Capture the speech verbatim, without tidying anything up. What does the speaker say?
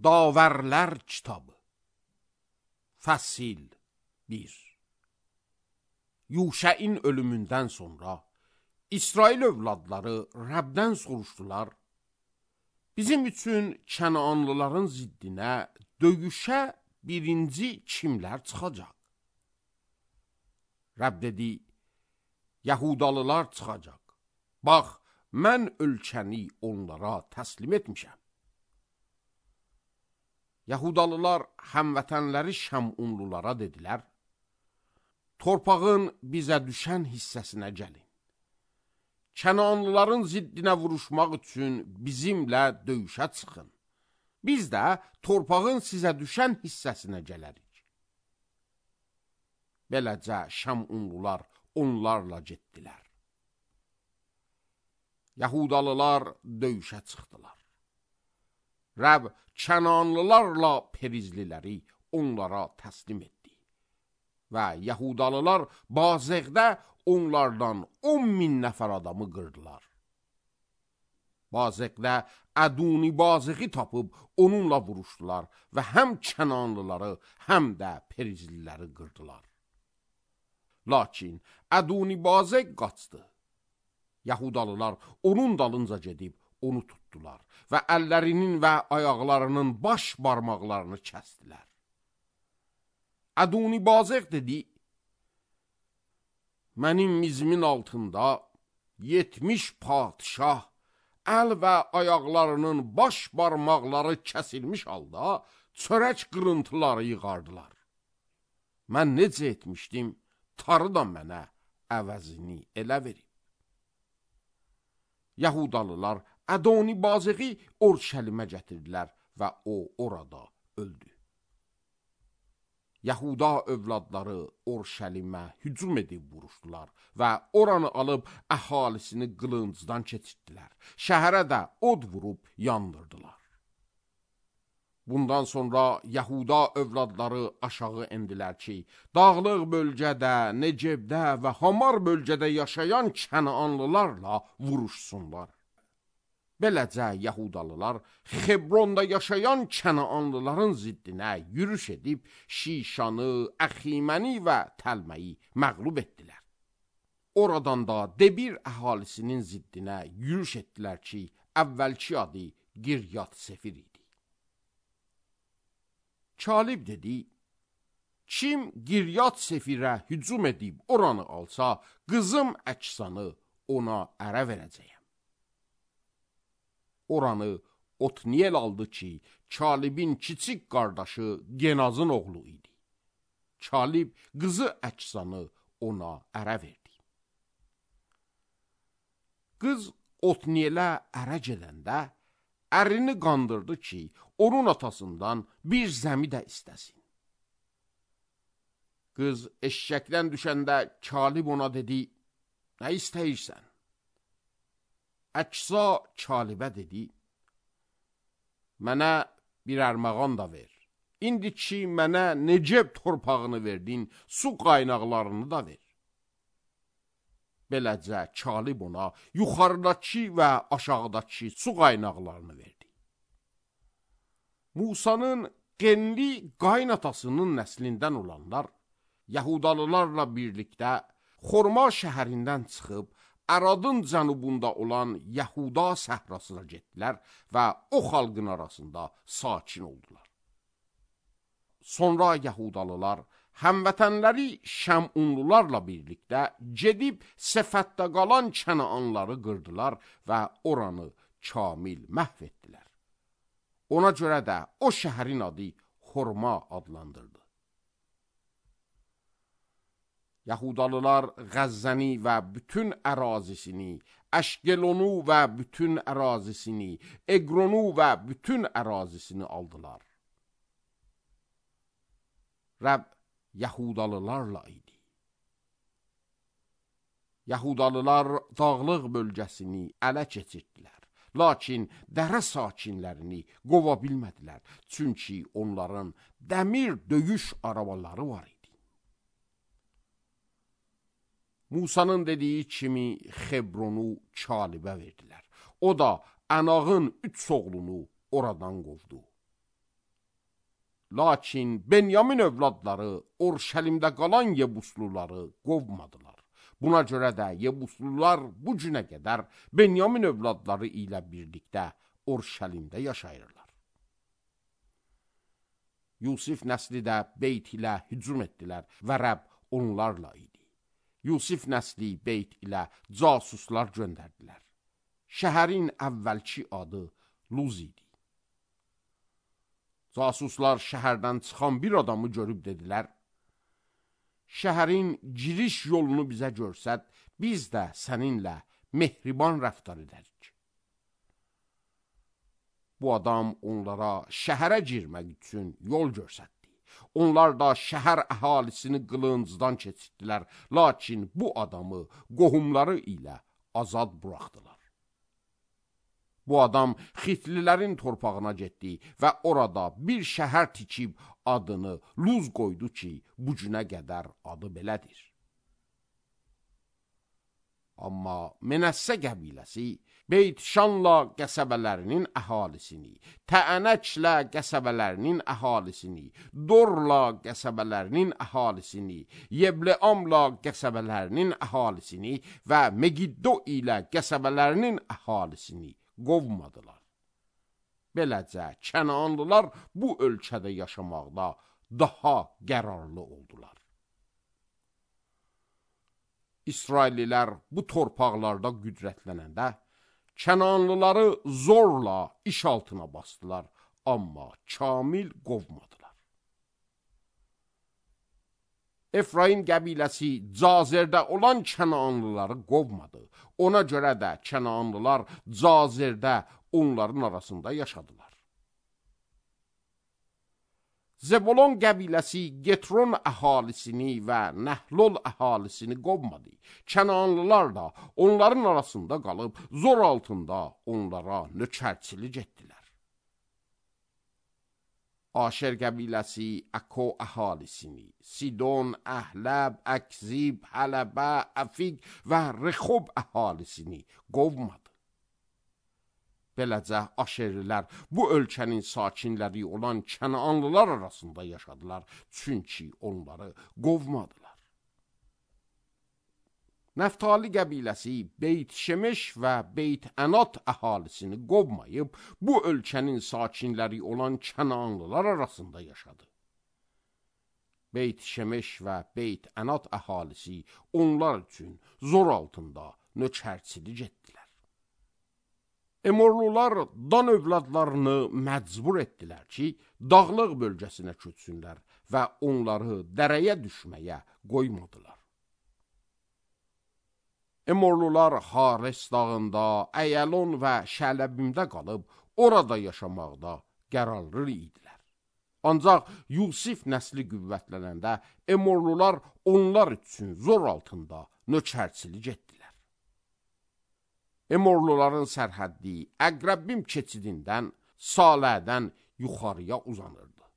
Davərlər kitabı Fəsil bir. Yuşəin ölümündən sonra İsrail övladları Rəbdən soruşdular, bizim üçün Kənanlıların ziddinə döyüşə birinci kimlər çıxacaq? Rəb dedi, Yahudalılar çıxacaq. Bax, mən ölkəni onlara təslim etmişəm. Yahudalılar həmvətənləri Şəmunlulara dedilər, torpağın bizə düşən hissəsinə gəlin. Kənanlıların ziddinə vuruşmaq üçün bizimlə döyüşə çıxın. Biz də torpağın sizə düşən hissəsinə gələrik. Beləcə Şəmunlular onlarla getdilər. Yahudalılar döyüşə çıxdılar. Rəb Kənanlılarla Perizliləri onlara təslim etdi. Və Yahudalılar Bazəqdə onlardan on min nəfər adamı qırdılar. Bazəqdə Əduni Bazəqi tapıb onunla vuruşdular və həm Kənanlıları, həm də Perizliləri qırdılar. Lakin Əduni Bazəq qaçdı. Yahudalılar onun dalınca gedib onu tutdular və əllərinin və ayaqlarının baş barmaqlarını kəsdilər. Əduni Bazəq dedi, mənim mizimin altında yetmiş padişah əl və ayaqlarının baş barmaqları kəsilmiş halda çörək qırıntıları yığardılar. Mən necə etmişdim, tarı da mənə əvəzini elə verib. Yahudalılar Ədoni Bazəqi Orşəlimə gətirdilər və o orada öldü. Yahuda övladları Orşəlimə hücum edib vuruşdular və oranı alıb əhalisini qılıncdan keçirdilər. Şəhərə də od vurub yandırdılar. Bundan sonra Yahuda övladları aşağı endilər ki, dağlıq bölgədə, Necebdə və Hamar bölgədə yaşayan Kənanlılarla vuruşsunlar. Beləcə Yahudalılar Xebronda yaşayan Kənanlıların ziddinə yürüş edib Şişanı, Əximəni və Təlməyi məğlub etdilər. Oradan da Debir əhalisinin ziddinə yürüş etdilər ki, əvvəlki adı Giryat Sefir idi. Kalib dedi, kim Giryat Sefirə hücum edib oranı alsa, qızım Əksanı ona ərə verəcəyəm. Oranı Otniyel aldı ki, Kalibin kiçik qardaşı Genazın oğlu idi. Kalib qızı Əksanı ona ərə verdi. Qız Otniyelə ərə gedəndə, ərini qandırdı ki, onun atasından bir zəmi də istəsin. Qız eşşəkdən düşəndə Kalib ona dedi, nə istəyirsən? Əksa Kalibə dedi, mənə bir ərməğan da ver. İndi ki, mənə Neceb torpağını verdin, su qaynaqlarını da ver. Beləcə Kalib ona yuxarıdakı və aşağıdakı su qaynaqlarını verdi. Musanın Qenli qaynatasının nəslindən olanlar Yahudalılarla birlikdə Xorma şəhərindən çıxıb Əradın cənubunda olan Yahuda səhrasına getdilər və o xalqın arasında sakin oldular. Sonra Yahudalılar həmvətənləri Şəmunlularla birlikdə gedib Sefətdə qalan Kənanları qırdılar və oranı kamil məhv etdilər. Ona görə də o şəhərin adı Xorma adlandırdı. Yahudalılar Qəzzəni və bütün ərazisini, Əşqelonu və bütün ərazisini, Eqronu və bütün ərazisini aldılar. Rəb Yahudalılarla idi. Yahudalılar dağlıq bölgəsini ələ keçirdilər. Lakin dərə sakinlərini qova bilmədilər, çünki onların dəmir döyüş arabaları var idi. Musanın dediyi kimi Xebronu Kalibə verdilər. O da Ənağın üç oğlunu oradan qovdu. Lakin Benyamin övladları Orşəlimdə qalan Yebusluları qovmadılar. Buna görə də Yebuslular bu günə qədər Benyamin övladları ilə birlikdə Orşəlimdə yaşayırlar. Yusif nəsli də Beyt ilə hücum etdilər və Rəbb onlarla idi. Yusif nəsli Beyt ilə casuslar göndərdilər. Şəhərin əvvəlki adı Luz idi. Casuslar şəhərdən çıxan bir adamı görüb dedilər, şəhərin giriş yolunu bizə görsət, biz də səninlə mehriban rəftar edərik. Bu adam onlara şəhərə girmək üçün yol görsətdi. Onlar da şəhər əhalisini qılıncdan keçirdilər, lakin bu adamı qohumları ilə azad buraxdılar. Bu adam Xitlilərin torpağına getdi və orada bir şəhər tikib adını Luz qoydu ki, bu günə qədər adı belədir. Amma Menəssə qəbiləsi Beyt-Şanla qəsəbələrinin əhalisini, Təənəklə qəsəbələrinin əhalisini, Dorla qəsəbələrinin əhalisini, Yebleamla qəsəbələrinin əhalisini və Megiddo ilə qəsəbələrinin əhalisini qovmadılar. Beləcə, Kənaanlılar bu ölkədə yaşamaqda daha qərarlı oldular. İsraillilər bu torpaqlarda qüdrətlənəndə, Kənaanlıları zorla iş altına basdılar, amma kamil qovmadılar. Efraim qəbiləsi Cazerdə olan Kənaanlıları qovmadı. Ona görə də Kənaanlılar Cazerdə onların arasında yaşadılar. Zebulon qəbiləsi Getron əhalisini və Nəhlol əhalisini qovmadı. Kənaanlılar da onların arasında qalıb zor altında onlara nökərçilik etdilər. Aşer qəbiləsi Əko əhalisini, Sidon, Əhləb, Əkzib, Hələbə, Əfiq və Rexob əhalisini qovmadı. Beləcə, Aşerlilər bu ölkənin sakinləri olan Kənaanlılar arasında yaşadılar, çünki onları qovmadılar. Nəftali qəbiləsi Beyt-Şemeş və Beyt-Ənat əhalisini qovmayıb, bu ölkənin sakinləri olan Kənaanlılar arasında yaşadı. Beyt-Şemeş və Beyt-Ənat əhalisi onlar üçün zor altında nökərçilik etdilər. Emorlular Dan övladlarını məcbur etdilər ki, dağlıq bölgəsinə köçsünlər və onları dərəyə düşməyə qoymadılar. Emorlular Hares dağında, Əyəlon və Şələbimdə qalıb, orada yaşamaqda qərarlı idilər. Ancaq Yusif nəsli qüvvətlənəndə Emorlular onlar üçün zor altında nökərçilik etdilər. Emorluların sərhəddi Əqrəbbim keçidindən, Salədən yuxarıya uzanırdı.